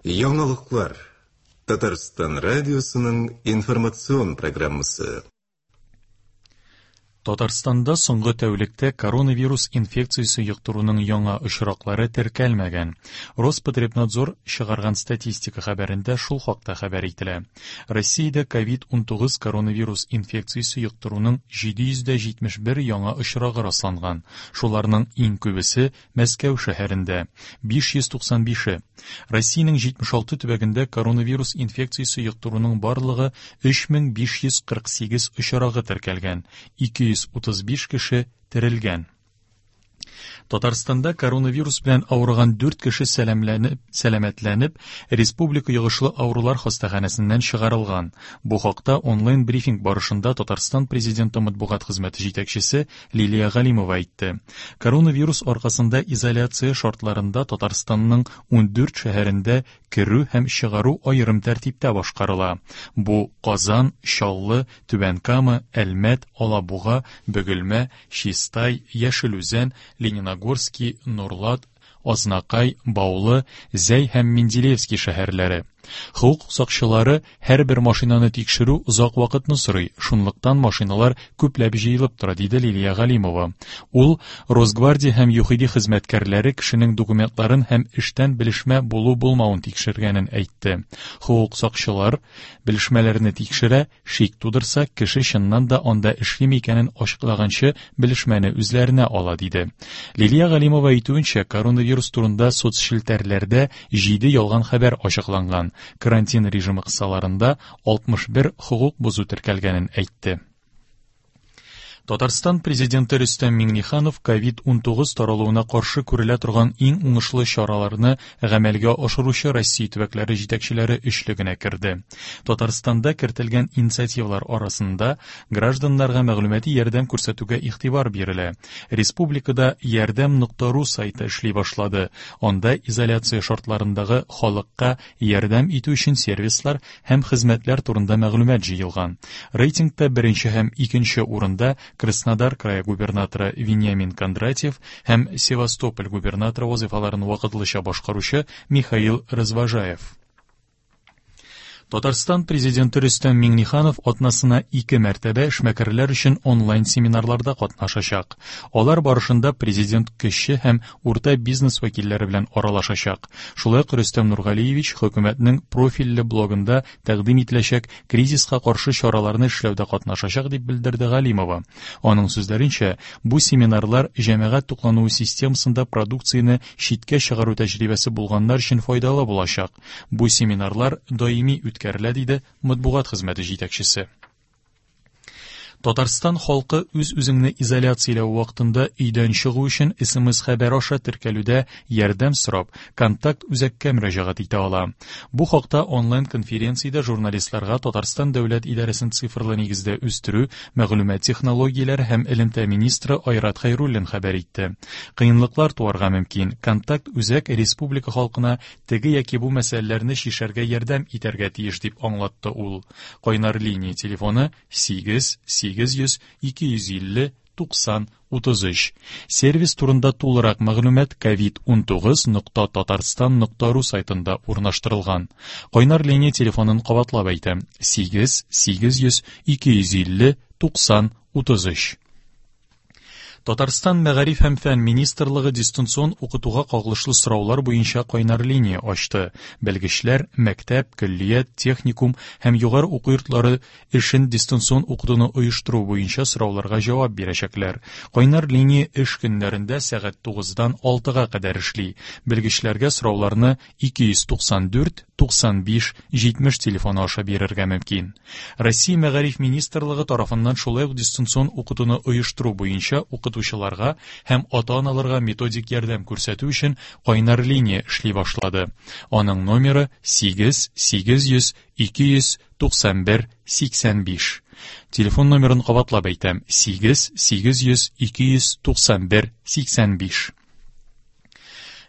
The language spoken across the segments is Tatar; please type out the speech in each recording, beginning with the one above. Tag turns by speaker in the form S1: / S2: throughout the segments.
S1: Яңалыклар. Татарстан радиосының информацион программасы.
S2: Татарстанда соңгы тәүлектә коронавирус инфекциясе йоктыруның яңа очраклары теркәлмәгән. Роспотребнадзор чыгарган статистика хәбәрендә шул хакта хәбәр ителә. Россиядә COVID-19 коронавирус инфекциясе йоктыруның 771 яңа очрагы расланган. Шуларның иң күбесе Мәскәү шәһәрендә, 595-е. Россиянең 76 төбәгендә коронавирус инфекциясе йоктыруның барлыгы 3548 очрагы теркәлгән, 235 кеше терелгән. Татарстанда коронавирус белән авырган 4 кеше сәламләнеп, сәламәтләнеп, Республика йогышлы авырулар хастаханәсеннән чыгарылган. Бу хакта онлайн-брифинг барышында Татарстан Президенты матбугат хезмәте җитәкчесе Лилия Галимова әйтте. Коронавирус аркасында изоляция шартларында Татарстанның 14 шәһәрендә керү һәм чыгару аерым тәртиптә башкарыла. Бу Казан, Чаллы, Түбән Кама, Әлмәт, Алабуга, Бөгелмә, Чистай, Яшел Үзән, Лениногорский, Нурлат, Азнакай, Баулы, Зәй һәм Менделеевский шәһәрләре. Хокук сакчылары һәрбер машинаны тикшерү озак вакытны сорый, шунлыктан машиналар күпләп җыелып тора, диде Лилия Галимова. Ул Росгвардия һәм ЮХИДИ хезмәткәрләре кешенең документларын һәм эштән белешмә булу-булмавын тикшергәнен әйтте. Хокук сакчылар белешмәләрне тикшерә, Шик тудырса, кеше чыннан да анда эшлиме икәнен ачыклаганчы белешмәне үзләренә ала, диде. Лилия Галимова әйтүенчә, коронавирус турында соцчелтәрләрдә җиде ялган хәбәр ачыкланган. Карантин режимы кысаларында 61 хокук бозу теркәлгәнен әйтте. Татарстан Президенты Рөстәм Миңнеханов COVID-19 таралуына каршы күрелә торган иң уңышлы чараларны гамәлгә ашыручы Россия төбәкләре җитәкчеләре өчлегенә керде. Татарстанда кертелгән инициативалар арасында гражданнарга мәгълүмати ярдәм күрсәтүгә игътибар бирелә. Республикада ярдәм.ру сайты эшли башлады. Анда изоляция шартларындагы халыкка ярдәм итү өчен сервислар һәм хезмәтләр турында мәгълүмат җыелган. Рейтингта беренче һәм икенче урында Краснодар крае губернаторы Вениамин Кондратьев һәм Севастополь губернаторы вазыйфаларын вакытлыча башкаручы Михаил Развожаев. Татарстан Президенты Рөстәм Миңнеханов атнасына ике мәртәбә эшмәкәрләр өчен онлайн-семинарларда катнашачак. Алар барышында президент кече һәм урта бизнес вәкилләре белән аралашачак. Шулай ук Рөстәм Нургалиевич хөкүмәтнең профильле блогында тәкъдим ителәчәк кризиска каршы чараларны эшләүдә катнашачак, дип белдерде Галимова. Аның сүзләренчә, бу семинарлар җәмәгать туклануы системасында продукцияне читкә чыгару тәҗрибәсе булганнар өчен файдалы булачак. Бу семинарлар даими үткәрелә, диде матбугат хезмәте җитәкчесе. Татарстан халкы үз-үзеңне изоляцияләү вакытында өйдән чыгу өчен СМС-хәбәр аша теркәлүдә ярдәм сорап, контакт үзәккә мөрәҗәгать итә ала. Бу хакта онлайн-конференциядә журналистларга Татарстан дәүләт идарәсен цифрлы нигездә үстерү, мәгълүмат технологияләре һәм элемтә министры Айрат Хәйруллин хәбәр итте. Кыенлыклар туарга мөмкин. Контакт үзәк республика халкына теге яки бу мәсьәләләрне чишәргә ярдәм итәргә тиеш, дип аңлатты ул. Кайнар линия телефоны 8 800 250 90 33. Сервис турында тулырак мәгълүмат covid19.tatarstan.ru сайтында урнаштырылган. Кайнар линия телефонын кабатлап әйтәм: 8 800 250 90 33. Татарстан Мәгариф һәм фән министрлыгы дистанцион укытуга кагылышлы сораулар буенча кайнар линия ачты. Белгечләр мәктәп, көллият, техникум һәм югары уку йортлары эшен дистанцион укытуны оештыру буенча сорауларга җавап бирәчәкләр. Кайнар линия эш көннәрендә сәгать 9-дан 6-га кадәр эшли. Белгечләргә сорауларны 294 95 70 телефоны аша бирергә мөмкин. Россия Мәгариф министрлыгы тарафыннан шулай ук дистанцион укытуны оештыру буенча укытучыларга һәм ата-аналарга методик ярдәм күрсәтү өчен кайнар линия эшли башлады. Аның номеры 8 800 291 85. Телефон номерын кабатлап әйтәм: 8 800 291 85.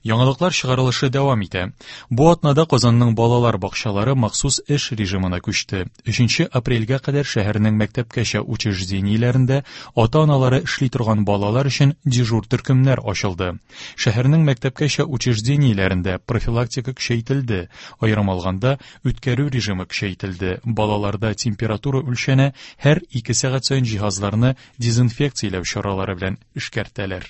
S2: Яңалыклар чыгарылышы дәвам итә. Бу атнада Казанның балалар бакчалары махсус эш режимына күчте. 3 апрельгә кадәр шәһәрнең мәктәпкәчә учреждениеләрендә ата-аналары эшли торган балалар өчен дежур төркемнәр ачылды. Шәһәрнең мәктәпкәчә учреждениеләрендә профилактика көчәйтелде. Аерым алганда, үткәрү режимы көчәйтелде. Балаларда температура үлчәнә, һәр 2 сәгать саен җиһазларны дезинфекцияләү чаралары белән эшкәртәләр.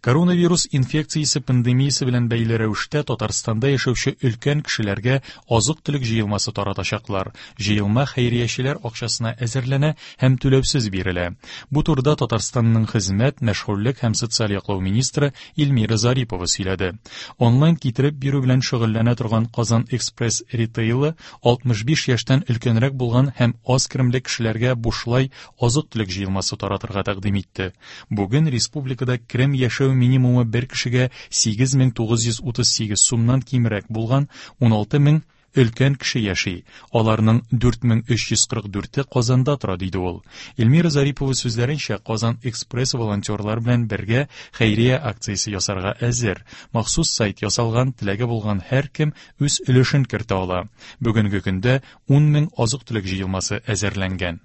S2: Коронавирус инфекциясе пандемиясе белән бәйле рәвештә Татарстанда яшәүче өлкән кешеләргә азык-төлек җыелмасы таратачаклар. Җыелма хәйриячеләр акчасына әзерләнә һәм түләүсез бирелә. Бу турыда Татарстанның хезмәт, мәшгульлек һәм социаль яклау министры Эльмира Зарипова сөйләде. Онлайн китереп бирү белән шөгыльләнә торган Казан Экспресс ритейлы 65 яшьтән өлкәнрәк булган һәм аз керемле кешеләргә бушлай азык-төлек җыелмасы таратырга тәкъдим итте. Бүген республикада керем яшәү минимумы бер кешегә 8938 сумнан кимрәк булган 16 мең өлкән кеше яши. Аларның 4344-е Казанда тора, диде ул. Эльмира Зарипова сүзләренчә, Казан Экспресс волонтерлар белән бергә хәйрия акциясе ясарга әзер. Махсус сайт ясалган, теләге булган һәркем үз өлешен кертә ала. Бүгенге көндә 10 мең азык-төлек җыелмасы әзерләнгән.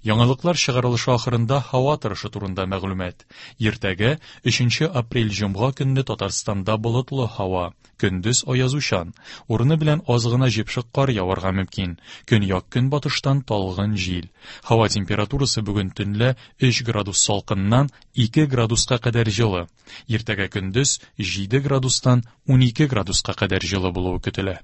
S2: Яңалыклар чыгарылышы ахырында һава торышы турында мәгълүмат. Иртәгә 3 апрель җомга көнне Татарстанда болытлы һава, көндез аязучан. Урыны белән аз гына җепшек кар яварга мөмкин. Көньяк-көнбатыштан талгын җил. Һава температурасы бүген төнлә 3 градус салкыннан 2 градуска кадәр җылы. Иртәгә көндез 7 градустан 12 градуска кадәр җылы булуы көтелә.